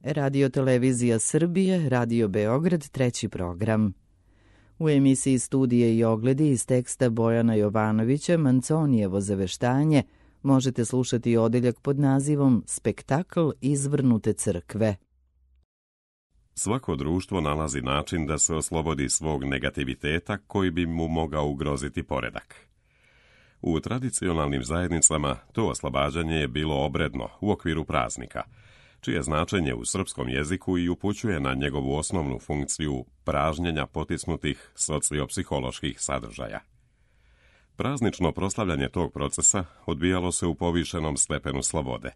Radio Televizija Srbije, Radio Beograd, treći program. U emisiji Studije i ogledi iz teksta Bojana Jovanovića Manconijevo zaveštanje možete slušati odeljak pod nazivom Spektakl izvrnute crkve. Svako društvo nalazi način da se oslobodi svog negativiteta koji bi mu mogao ugroziti poredak. U tradicionalnim zajednicama to oslobađanje je bilo obredno u okviru praznika, čije značenje u srpskom jeziku i upućuje na njegovu osnovnu funkciju pražnjenja potisnutih sociopsiholoških sadržaja. Praznično proslavljanje tog procesa odvijalo se u povišenom stepenu slobode,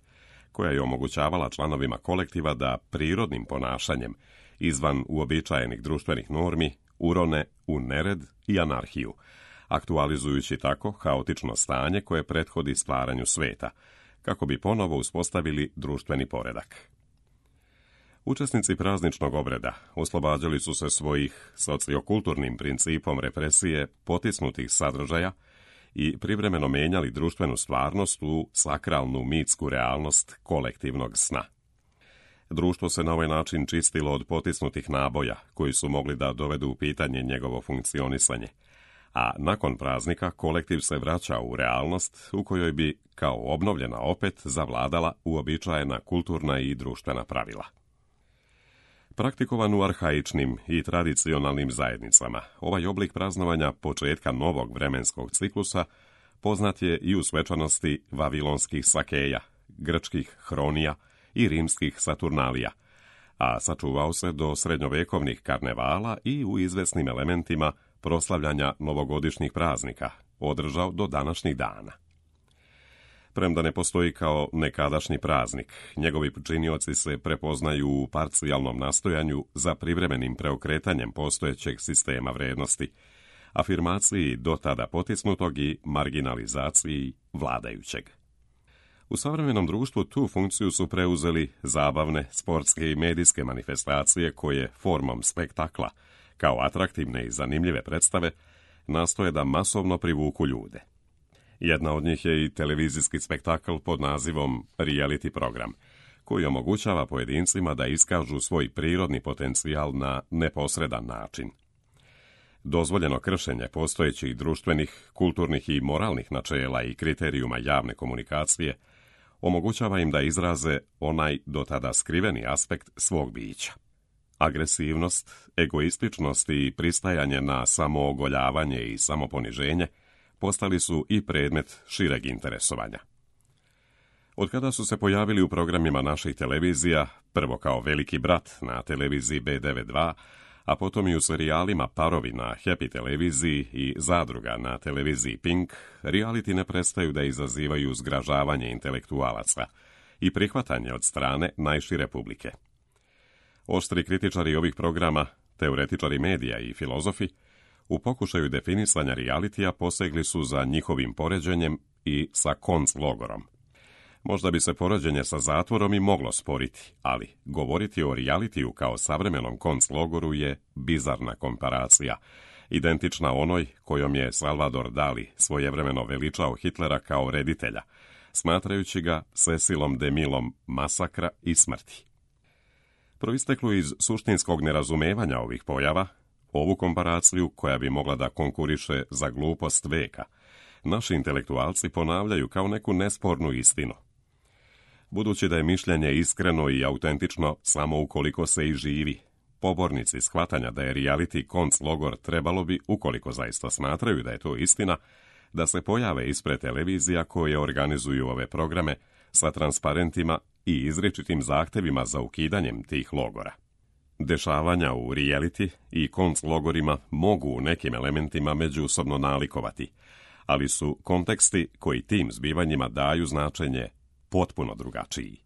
koja je omogućavala članovima kolektiva da prirodnim ponašanjem, izvan uobičajenih društvenih normi, urone u nered i anarhiju, aktualizujući tako haotično stanje koje prethodi stvaranju sveta, kako bi ponovo uspostavili društveni poredak. Učesnici prazničnog obreda oslobađali su se svojih sociokulturnim principom represije potisnutih sadržaja i privremeno menjali društvenu stvarnost u sakralnu mitsku realnost kolektivnog sna. Društvo se na ovaj način čistilo od potisnutih naboja koji su mogli da dovedu u pitanje njegovo funkcionisanje, a nakon praznika kolektiv se vraća u realnost u kojoj bi, kao obnovljena opet, zavladala uobičajena kulturna i društvena pravila. Praktikovan u arhaičnim i tradicionalnim zajednicama, ovaj oblik praznovanja početka novog vremenskog ciklusa poznat je i u svečanosti vavilonskih sakeja, grčkih hronija i rimskih saturnalija, a sačuvao se do srednjovekovnih karnevala i u izvesnim elementima proslavljanja novogodišnjih praznika, održao do današnjih dana. Premda ne postoji kao nekadašnji praznik, njegovi činioci se prepoznaju u parcijalnom nastojanju za privremenim preokretanjem postojećeg sistema vrednosti, afirmaciji do tada potisnutog i marginalizaciji vladajućeg. U savremenom društvu tu funkciju su preuzeli zabavne, sportske i medijske manifestacije koje formom spektakla, kao atraktivne i zanimljive predstave, nastoje da masovno privuku ljude. Jedna od njih je i televizijski spektakl pod nazivom reality program, koji omogućava pojedincima da iskažu svoj prirodni potencijal na neposredan način. Dozvoljeno kršenje postojećih društvenih, kulturnih i moralnih načela i kriterijuma javne komunikacije omogućava im da izraze onaj do tada skriveni aspekt svog bića. Agresivnost, egoističnost i pristajanje na samoogoljavanje i samoponiženje postali su i predmet šireg interesovanja. Od kada su se pojavili u programima naših televizija, prvo kao Veliki brat na televiziji B92, a potom i u serijalima Parovi na Happy televiziji i Zadruga na televiziji Pink, reality ne prestaju da izazivaju zgražavanje intelektualaca i prihvatanje od strane najšire publike. Oštri kritičari ovih programa, teoretičari medija i filozofi, u pokušaju definisanja realitija posegli su za njihovim poređenjem i sa konclogorom. Možda bi se poređenje sa zatvorom i moglo sporiti, ali govoriti o realitiju kao savremenom konclogoru je bizarna komparacija, identična onoj kojom je Salvador Dali svojevremeno veličao Hitlera kao reditelja, smatrajući ga Cecilom DeMillom masakra i smrti. Proisteklo iz suštinskog nerazumevanja ovih pojava, ovu komparaciju, koja bi mogla da konkuriše za glupost veka, naši intelektualci ponavljaju kao neku nespornu istinu. Budući da je mišljenje iskreno i autentično samo ukoliko se i živi, pobornici shvatanja da je reality konclogor trebalo bi, ukoliko zaista smatraju da je to istina, da se pojave ispred televizija koje organizuju ove programe sa transparentima i izričitim zahtevima za ukidanjem tih logora. Dešavanja u reality i konclogorima mogu u nekim elementima međusobno nalikovati, ali su konteksti koji tim zbivanjima daju značenje potpuno drugačiji.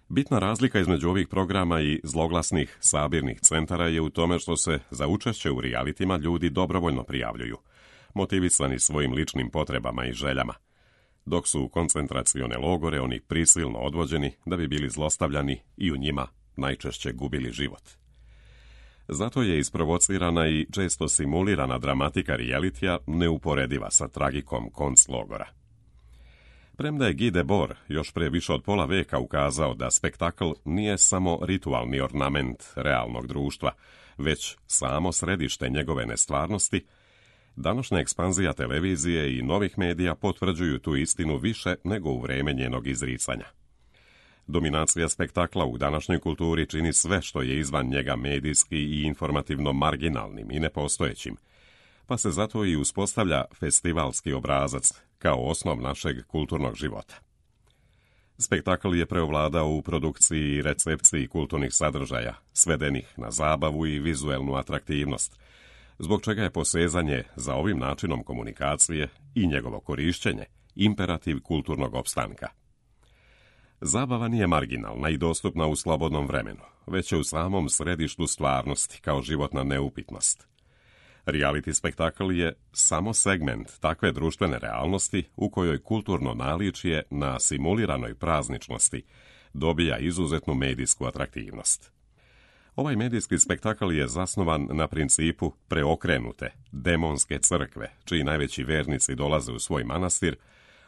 Bitna razlika između ovih programa i zloglasnih sabirnih centara je u tome što se za učešće u realitima ljudi dobrovoljno prijavljuju, motivisani svojim ličnim potrebama i željama, dok su u koncentracione logore oni prisilno odvođeni da bi bili zlostavljani i u njima najčešće gubili život. Zato je isprovocirana i često simulirana dramatika realitija neuporediva sa tragikom konclogora. Premda je Guy Debord još prije više od pola veka ukazao da spektakl nije samo ritualni ornament realnog društva, već samo središte njegove nestvarnosti, današnja ekspanzija televizije i novih medija potvrđuju tu istinu više nego u vrijeme njenog izricanja. Dominacija spektakla u današnjoj kulturi čini sve što je izvan njega medijski i informativno marginalnim i nepostojećim, pa se zato i uspostavlja festivalski obrazac kao osnov našeg kulturnog života. Spektakl je preovladao u produkciji i recepciji kulturnih sadržaja, svedenih na zabavu i vizuelnu atraktivnost, zbog čega je posezanje za ovim načinom komunikacije i njegovo korišćenje imperativ kulturnog opstanka. Zabava nije marginalna i dostupna u slobodnom vremenu, već je u samom središtu stvarnosti kao životna neupitnost. Reality spektakl je samo segment takve društvene realnosti u kojoj kulturno naličje na simuliranoj prazničnosti dobija izuzetnu medijsku atraktivnost. Ovaj medijski spektakl je zasnovan na principu preokrenute, demonske crkve, čiji najveći vernici dolaze u svoj manastir,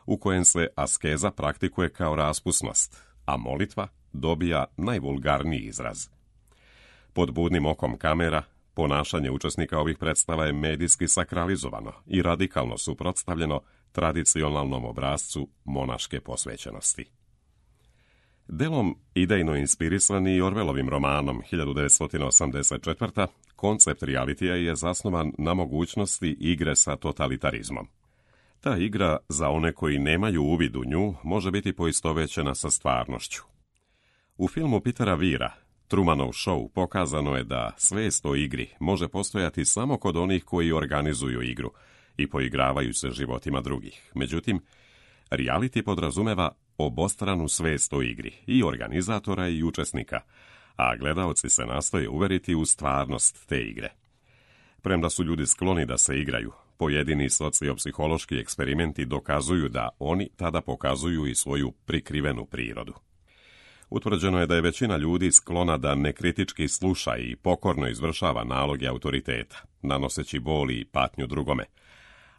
u kojem se askeza praktikuje kao raspusnost, a molitva dobija najvulgarniji izraz. Pod budnim okom kamera, ponašanje učesnika ovih predstava je medijski sakralizovano i radikalno suprotstavljeno tradicionalnom obrascu monaške posvećenosti. Delom idejno inspirisani Orwellovim romanom 1984. koncept realitija je zasnovan na mogućnosti igre sa totalitarizmom. Ta igra, za one koji nemaju uvid u nju, može biti poistovećena sa stvarnošću. U filmu Petera Weira, Trumanov show, pokazano je da svest o igri može postojati samo kod onih koji organizuju igru i poigravaju se životima drugih. Međutim, reality podrazumeva obostranu svest o igri, i organizatora i učesnika, a gledaoci se nastoje uveriti u stvarnost te igre. Premda su ljudi skloni da se igraju, pojedini sociopsihološki eksperimenti dokazuju da oni tada pokazuju i svoju prikrivenu prirodu. Utvrđeno je da je većina ljudi sklona da nekritički sluša i pokorno izvršava naloge autoriteta, nanoseći bol i patnju drugome,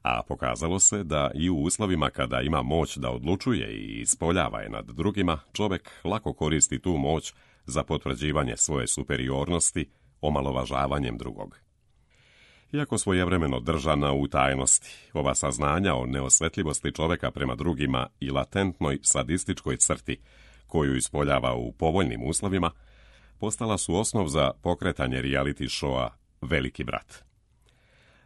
a pokazalo se da i u uslovima kada ima moć da odlučuje i ispoljava je nad drugima, čovjek lako koristi tu moć za potvrđivanje svoje superiornosti omalovažavanjem drugog. Iako svojevremeno držana u tajnosti, ova saznanja o neosvetljivosti čovjeka prema drugima i latentnoj sadističkoj crti koju ispoljava u povoljnim uslovima, postala su osnov za pokretanje reality showa Veliki brat.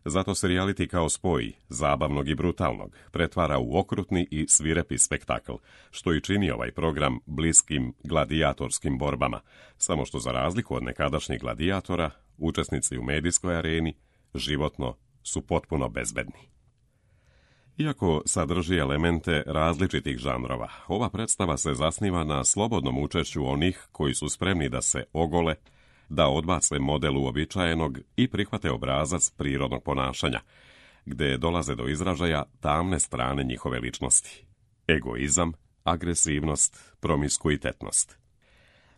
Zato se reality kao spoj zabavnog i brutalnog pretvara u okrutni i svirepi spektakl, što i čini ovaj program bliskim gladijatorskim borbama, samo što za razliku od nekadašnjih gladijatora, učesnici u medijskoj areni životno su potpuno bezbedni. Iako sadrži elemente različitih žanrova, ova predstava se zasniva na slobodnom učešću onih koji su spremni da se ogole, da odbace model uobičajenog i prihvate obrazac prirodnog ponašanja, gde dolaze do izražaja tamne strane njihove ličnosti. Egoizam, agresivnost, promiskuitetnost.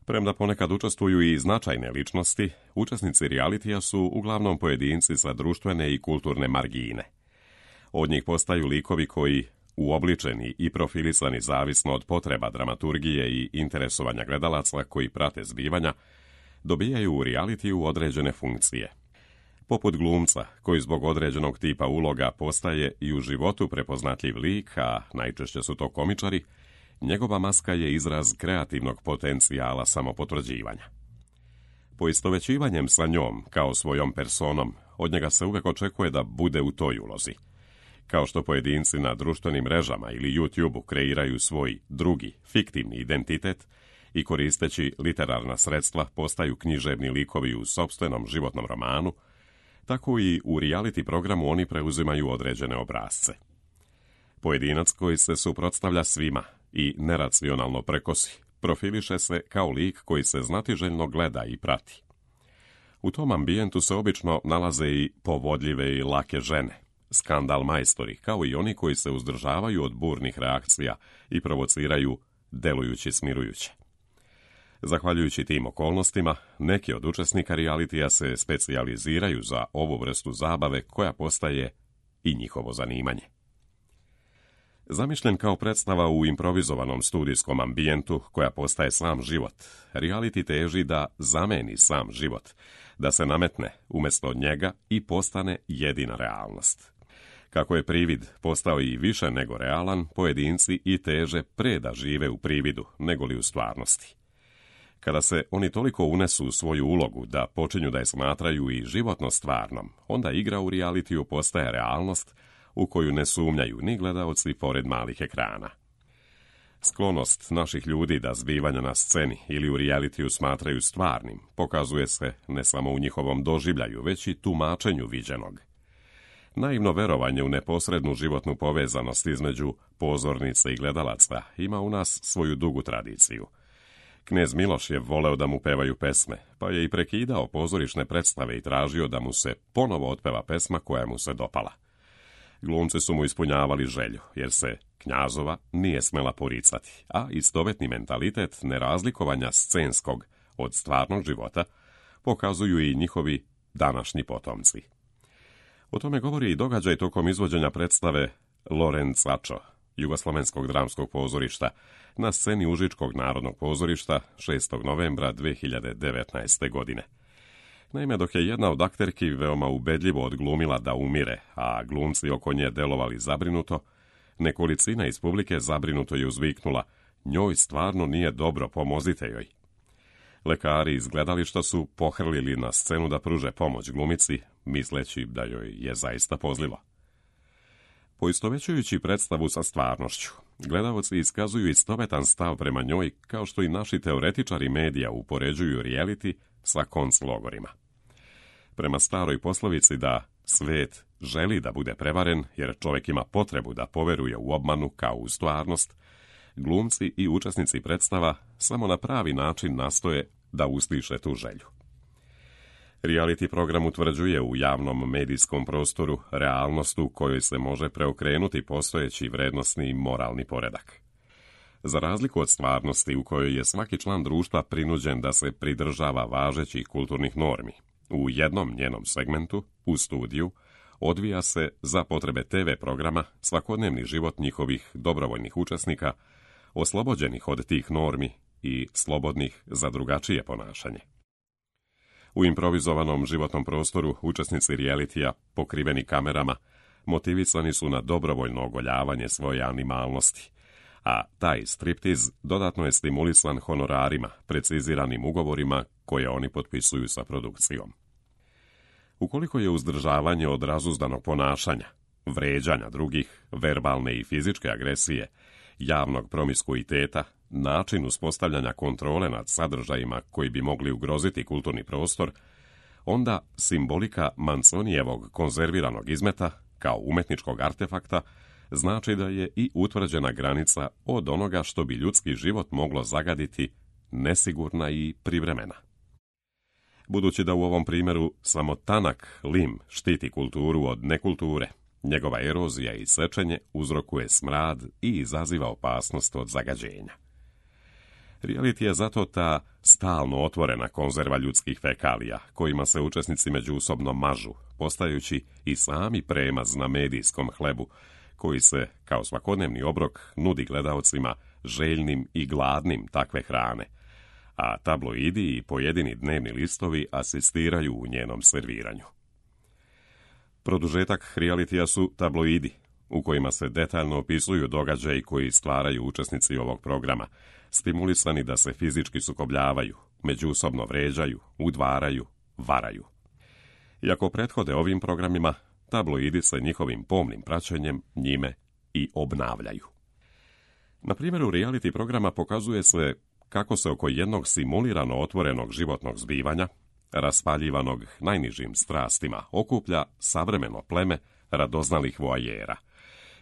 Premda ponekad učestvuju i značajne ličnosti, učesnici realitija su uglavnom pojedinci sa društvene i kulturne margine. Od njih postaju likovi koji, uobličeni i profilisani zavisno od potreba dramaturgije i interesovanja gledalaca koji prate zbivanja, dobijaju u realitiju određene funkcije. Poput glumca, koji zbog određenog tipa uloga postaje i u životu prepoznatljiv lik, a najčešće su to komičari, njegova maska je izraz kreativnog potencijala samopotvrđivanja. Poistovećivanjem sa njom, kao svojom personom, od njega se uvek očekuje da bude u toj ulozi. Kao što pojedinci na društvenim mrežama ili YouTube-u kreiraju svoj drugi, fiktivni identitet i koristeći literarna sredstva postaju književni likovi u sopstvenom životnom romanu, tako i u reality programu oni preuzimaju određene obrasce. Pojedinac koji se suprotstavlja svima i neracionalno prekosi, profiliše se kao lik koji se znatiželjno gleda i prati. U tom ambijentu se obično nalaze i povodljive i lake žene, skandal majstori, kao i oni koji se uzdržavaju od burnih reakcija i provociraju delujući smirujuće. Zahvaljujući tim okolnostima, neki od učesnika realitija se specijaliziraju za ovu vrstu zabave koja postaje i njihovo zanimanje. Zamišljen kao predstava u improvizovanom studijskom ambijentu koja postaje sam život, reality teži da zameni sam život, da se nametne umjesto njega i postane jedina realnost. Kako je privid postao i više nego realan, pojedinci i teže pre da žive u prividu nego li u stvarnosti. Kada se oni toliko unesu u svoju ulogu da počinju da je smatraju i životno stvarnom, onda igra u realitiju postaje realnost u koju ne sumnjaju ni gledaoci pored malih ekrana. Sklonost naših ljudi da zbivanja na sceni ili u realitiju smatraju stvarnim pokazuje se ne samo u njihovom doživljaju, već i tumačenju viđenog. Naivno verovanje u neposrednu životnu povezanost između pozornice i gledalaca ima u nas svoju dugu tradiciju. Knez Miloš je voleo da mu pevaju pesme, pa je i prekidao pozorišne predstave i tražio da mu se ponovo otpeva pesma koja mu se dopala. Glumci su mu ispunjavali želju, jer se Knjazova nije smela poricati, a istovetni mentalitet nerazlikovanja scenskog od stvarnog života pokazuju i njihovi današnji potomci. O tome govori i događaj tokom izvođenja predstave Lorenzačo, Jugoslovenskog dramskog pozorišta, na sceni Užičkog narodnog pozorišta 6. novembra 2019. godine. Naime, dok je jedna od akterki veoma ubedljivo odglumila da umire, a glumci oko nje delovali zabrinuto, nekolicina iz publike zabrinuto je uzviknula: "Njoj stvarno nije dobro, pomozite joj." Lekari iz gledališta su pohrlili na scenu da pruže pomoć glumici, misleći da joj je zaista pozlilo. Poistovećujući predstavu sa stvarnošću, gledaoci iskazuju istovetan stav prema njoj, kao što i naši teoretičari medija upoređuju reality sa konclogorima. Prema staroj poslovici da svet želi da bude prevaren jer čovjek ima potrebu da poveruje u obmanu kao u stvarnost, glumci i učesnici predstava samo na pravi način nastoje da usliše tu želju. Reality program utvrđuje u javnom medijskom prostoru realnost u kojoj se može preokrenuti postojeći vrednosni i moralni poredak. Za razliku od stvarnosti u kojoj je svaki član društva prinuđen da se pridržava važećih kulturnih normi, u jednom njenom segmentu, u studiju, odvija se za potrebe TV programa svakodnevni život njihovih dobrovoljnih učesnika, oslobođenih od tih normi i slobodnih za drugačije ponašanje. U improvizovanom životnom prostoru učesnici realitija, pokriveni kamerama, motivisani su na dobrovoljno ogoljavanje svoje animalnosti, a taj striptiz dodatno je stimulisan honorarima, preciziranim ugovorima koje oni potpisuju sa produkcijom. Ukoliko je uzdržavanje od razuzdanog ponašanja, vređanja drugih, verbalne i fizičke agresije, javnog promiskuiteta, način uspostavljanja kontrole nad sadržajima koji bi mogli ugroziti kulturni prostor, onda simbolika Manzonijevog konzerviranog izmeta, kao umetničkog artefakta, znači da je i utvrđena granica od onoga što bi ljudski život moglo zagaditi, nesigurna i privremena. Budući da u ovom primjeru samo tanak lim štiti kulturu od nekulture, njegova erozija i sečenje uzrokuje smrad i izaziva opasnost od zagađenja. Reality je zato ta stalno otvorena konzerva ljudskih fekalija, kojima se učesnici međusobno mažu, postajući i sami premaz na medijskom hlebu, koji se, kao svakodnevni obrok, nudi gledaocima željnim i gladnim takve hrane, a tabloidi i pojedini dnevni listovi asistiraju u njenom serviranju. Produžetak realitija su tabloidi, u kojima se detaljno opisuju događaji koji stvaraju učesnici ovog programa, stimulisani da se fizički sukobljavaju, međusobno vređaju, udvaraju, varaju. Iako prethode ovim programima, tabloidi se njihovim pomnim praćenjem njime i obnavljaju. Na primjeru reality programa pokazuje se kako se oko jednog simulirano otvorenog životnog zbivanja, raspaljivanog najnižim strastima, okuplja savremeno pleme radoznalih voajera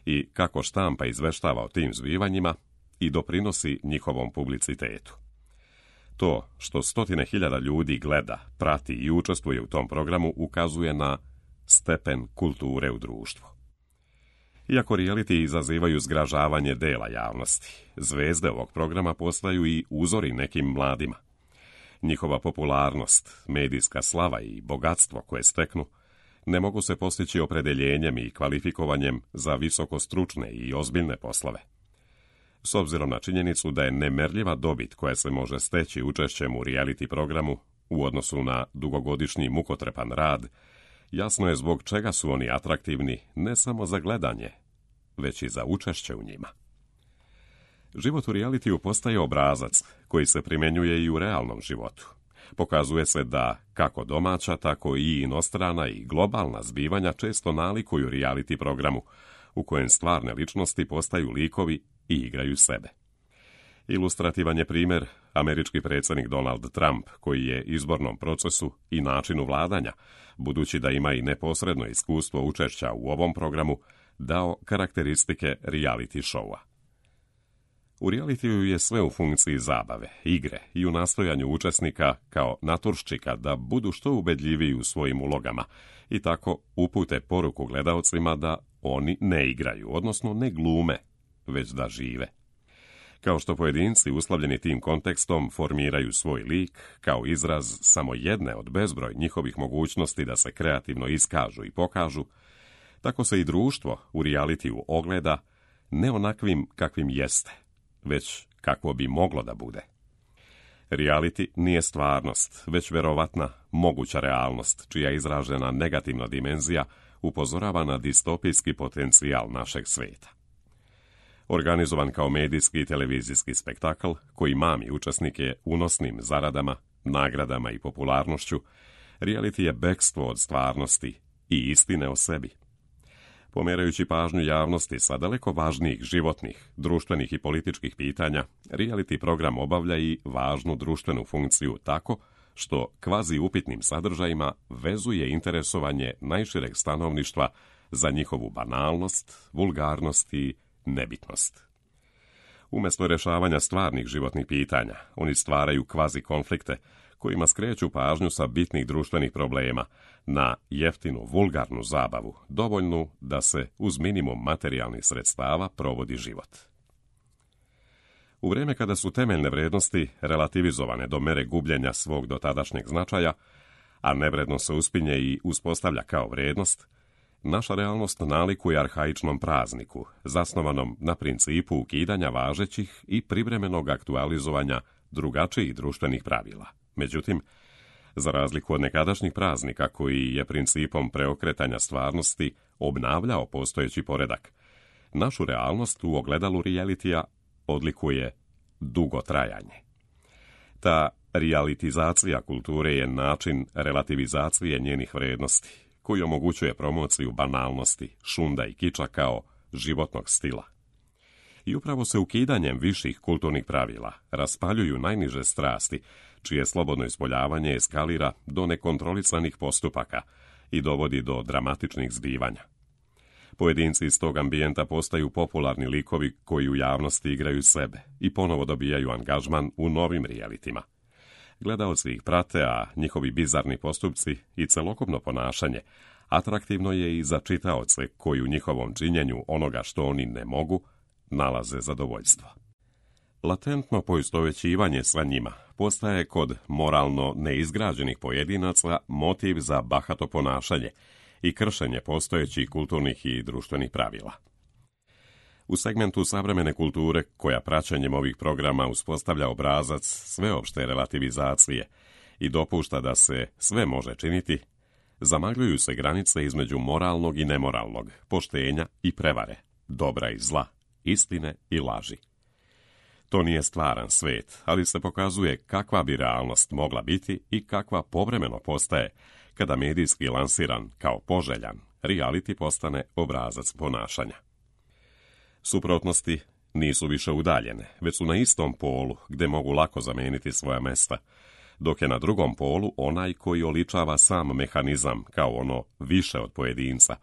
i kako štampa izveštava o tim zbivanjima i doprinosi njihovom publicitetu. To što 100.000 ljudi gleda, prati i učestvuje u tom programu ukazuje na stepen kulture u društvu. Iako reality izazivaju zgražavanje dela javnosti, zvezde ovog programa postaju i uzori nekim mladima. Njihova popularnost, medijska slava i bogatstvo koje steknu ne mogu se postići opredeljenjem i kvalifikovanjem za visokostručne i ozbiljne poslove. S obzirom na činjenicu da je nemerljiva dobit koja se može steći učešćem u reality programu u odnosu na dugogodišnji mukotrepan rad, jasno je zbog čega su oni atraktivni ne samo za gledanje, već i za učešće u njima. Život u realitiju postaje obrazac koji se primjenjuje i u realnom životu. Pokazuje se da kako domaća, tako i inostrana i globalna zbivanja često nalikuju reality programu, u kojem stvarne ličnosti postaju likovi i igraju sebe. Ilustrativan je primjer američki predsjednik Donald Trump, koji je izbornom procesu i načinu vladanja, budući da ima i neposredno iskustvo učešća u ovom programu, dao karakteristike reality showa. U realitiju je sve u funkciji zabave, igre i u nastojanju učesnika kao naturščika da budu što ubedljiviji u svojim ulogama i tako upute poruku gledaocima da oni ne igraju, odnosno ne glume, već da žive. Kao što pojedinci uslovljeni tim kontekstom formiraju svoj lik kao izraz samo jedne od bezbroj njihovih mogućnosti da se kreativno iskažu i pokažu, tako se i društvo u realitiju ogleda ne onakvim kakvim jeste, već kakvo bi moglo da bude. Reality nije stvarnost, već verovatna, moguća realnost, čija izražena negativna dimenzija upozorava na distopijski potencijal našeg svijeta. Organizovan kao medijski i televizijski spektakl koji mami učesnike unosnim zaradama, nagradama i popularnošću, reality je bekstvo od stvarnosti i istine o sebi. Pomerajući pažnju javnosti sa daleko važnijih životnih, društvenih i političkih pitanja, reality program obavlja i važnu društvenu funkciju tako što kvazi upitnim sadržajima vezuje interesovanje najšireg stanovništva za njihovu banalnost, vulgarnost i nebitnost. Umjesto rješavanja stvarnih životnih pitanja, oni stvaraju kvazi konflikte kojima skreću pažnju sa bitnih društvenih problema na jeftinu, vulgarnu zabavu, dovoljnu da se uz minimum materijalnih sredstava provodi život. U vrijeme kada su temeljne vrijednosti relativizovane do mere gubljenja svog dotadašnjeg značaja, a nevrednost se uspinje i uspostavlja kao vrijednost, naša realnost nalikuje arhaičnom prazniku, zasnovanom na principu ukidanja važećih i privremenog aktualizovanja drugačijih društvenih pravila. Međutim, za razliku od nekadašnjih praznika koji je principom preokretanja stvarnosti obnavljao postojeći poredak, našu realnost u ogledalu realitija odlikuje dugo trajanje. Ta realitizacija kulture je način relativizacije njenih vrijednosti, koji omogućuje promociju banalnosti, šunda i kiča kao životnog stila. I upravo se ukidanjem viših kulturnih pravila raspaljuju najniže strasti, čije slobodno ispoljavanje eskalira do nekontrolisanih postupaka i dovodi do dramatičnih zbivanja. Pojedinci iz tog ambijenta postaju popularni likovi koji u javnosti igraju sebe i ponovo dobijaju angažman u novim realitima. Gledaoci ih prate, a njihovi bizarni postupci i celokupno ponašanje atraktivno je i za čitaoce koji u njihovom činjenju onoga što oni ne mogu nalaze zadovoljstvo. Latentno poistovjećivanje sa njima postaje kod moralno neizgrađenih pojedinaca motiv za bahato ponašanje i kršenje postojećih kulturnih i društvenih pravila. U segmentu savremene kulture, koja praćenjem ovih programa uspostavlja obrazac sveopšte relativizacije i dopušta da se sve može činiti, zamagljuju se granice između moralnog i nemoralnog, poštenja i prevare, dobra i zla, istine i laži. To nije stvaran svet, ali se pokazuje kakva bi realnost mogla biti i kakva povremeno postaje kada medijski lansiran kao poželjan reality postane obrazac ponašanja. Suprotnosti nisu više udaljene, već su na istom polu gdje mogu lako zameniti svoja mesta, dok je na drugom polu onaj koji oličava sam mehanizam kao ono više od pojedinca,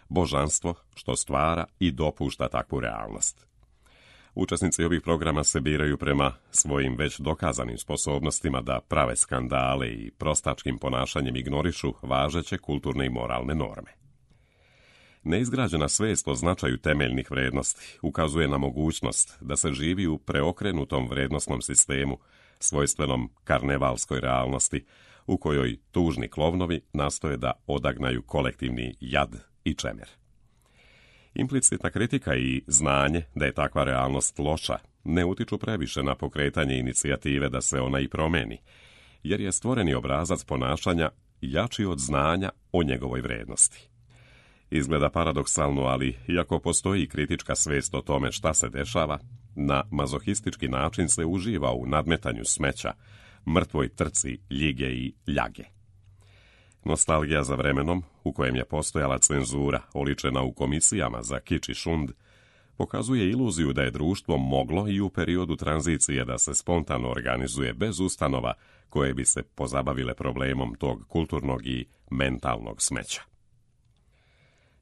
božanstvo što stvara i dopušta takvu realnost. Učesnici ovih programa se biraju prema svojim već dokazanim sposobnostima da prave skandale i prostačkim ponašanjem ignorišu važeće kulturne i moralne norme. Neizgrađena svijest o značaju temeljnih vrijednosti ukazuje na mogućnost da se živi u preokrenutom vrijednosnom sistemu svojstvenom karnevalskoj realnosti, u kojoj tužni klovnovi nastoje da odagnaju kolektivni jad i čemer. Implicitna kritika i znanje da je takva realnost loša ne utiču previše na pokretanje inicijative da se ona i promeni, jer je stvoreni obrazac ponašanja jači od znanja o njegovoj vrednosti. Izgleda paradoksalno, ali iako postoji kritička svest o tome šta se dešava, na mazohistički način se uživa u nadmetanju smeća, mrtvoj trci ljige i ljage. Nostalgija za vremenom, u kojem je postojala cenzura oličena u komisijama za kič i šund, pokazuje iluziju da je društvo moglo i u periodu tranzicije da se spontano organizuje bez ustanova koje bi se pozabavile problemom tog kulturnog i mentalnog smeća.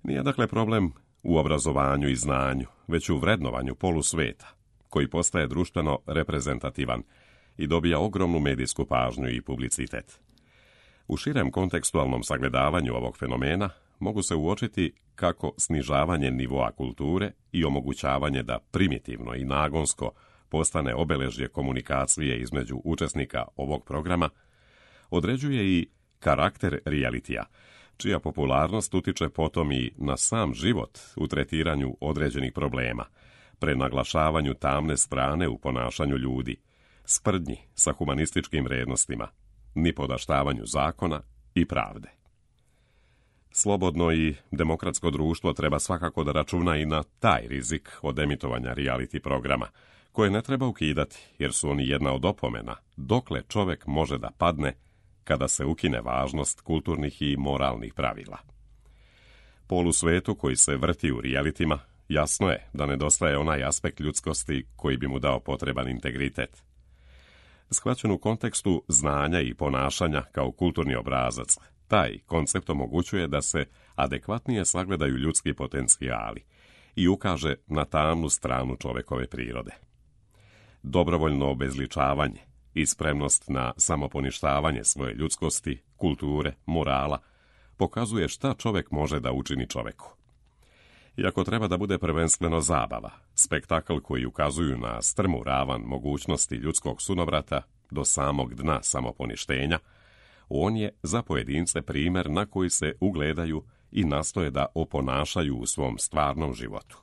Nije dakle problem u obrazovanju i znanju, već u vrednovanju polusveta, koji postaje društveno reprezentativan i dobija ogromnu medijsku pažnju i publicitet. U širem kontekstualnom sagledavanju ovog fenomena mogu se uočiti kako snižavanje nivoa kulture i omogućavanje da primitivno i nagonsko postane obeležje komunikacije između učesnika ovog programa određuje i karakter realitija, čija popularnost utiče potom i na sam život u tretiranju određenih problema, prenaglašavanju tamne strane u ponašanju ljudi, sprdnji sa humanističkim vrednostima, nipodaštavanju zakona i pravde. Slobodno i demokratsko društvo treba svakako da računa i na taj rizik od emitovanja reality programa, koje ne treba ukidati, jer su oni jedna od opomena dokle čovek može da padne kada se ukine važnost kulturnih i moralnih pravila. Polusvetu koji se vrti u realitima, jasno je da nedostaje onaj aspekt ljudskosti koji bi mu dao potreban integritet. Shvaćen u kontekstu znanja i ponašanja kao kulturni obrazac, taj koncept omogućuje da se adekvatnije sagledaju ljudski potencijali i ukaže na tamnu stranu čovekove prirode. Dobrovoljno obezličavanje i spremnost na samoponištavanje svoje ljudskosti, kulture, morala, pokazuje šta čovek može da učini čoveku. Iako treba da bude prvenstveno zabava, spektakl koji ukazuju na strmu ravan mogućnosti ljudskog sunovrata do samog dna samoponištenja, on je za pojedince primer na koji se ugledaju i nastoje da oponašaju u svom stvarnom životu.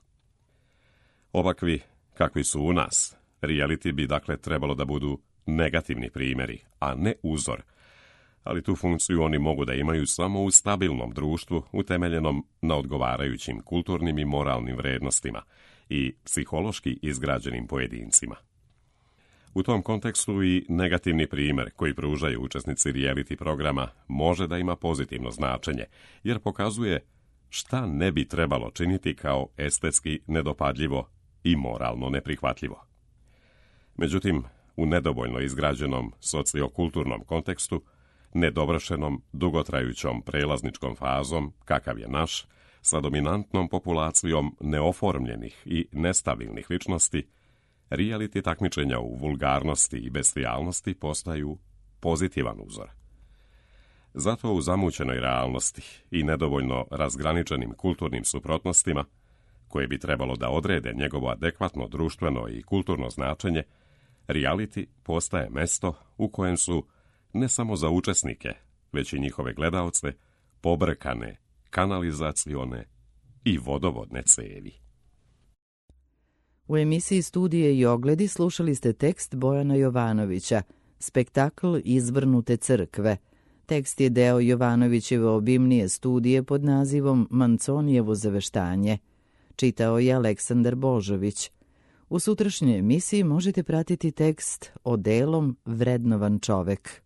Ovakvi, kakvi su u nas, reality bi dakle trebalo da budu negativni primjeri, a ne uzor, ali tu funkciju oni mogu da imaju samo u stabilnom društvu utemeljenom na odgovarajućim kulturnim i moralnim vrednostima i psihološki izgrađenim pojedincima. U tom kontekstu i negativni primjer koji pružaju učesnici reality programa može da ima pozitivno značenje, jer pokazuje šta ne bi trebalo činiti kao estetski nedopadljivo i moralno neprihvatljivo. Međutim, u nedovoljno izgrađenom sociokulturnom kontekstu, nedovršenom, dugotrajućom prelazničkom fazom, kakav je naš, sa dominantnom populacijom neoformljenih i nestabilnih ličnosti, reality takmičenja u vulgarnosti i bestijalnosti postaju pozitivan uzor. Zato u zamućenoj realnosti i nedovoljno razgraničenim kulturnim suprotnostima, koje bi trebalo da odrede njegovo adekvatno društveno i kulturno značenje, reality postaje mesto u kojem su, ne samo za učesnike, već i njihove gledaoce, pobrkane kanalizacione i vodovodne cevi. U emisiji Studije i ogledi slušali ste tekst Bojana Jovanovića, spektakl Izvrnute crkve. Tekst je deo Jovanovićeve obimnije studije pod nazivom Manconijevo zaveštanje. Čitao je Aleksandar Božović. U sutrašnjoj emisiji možete pratiti tekst Odelom vrednovan čovek.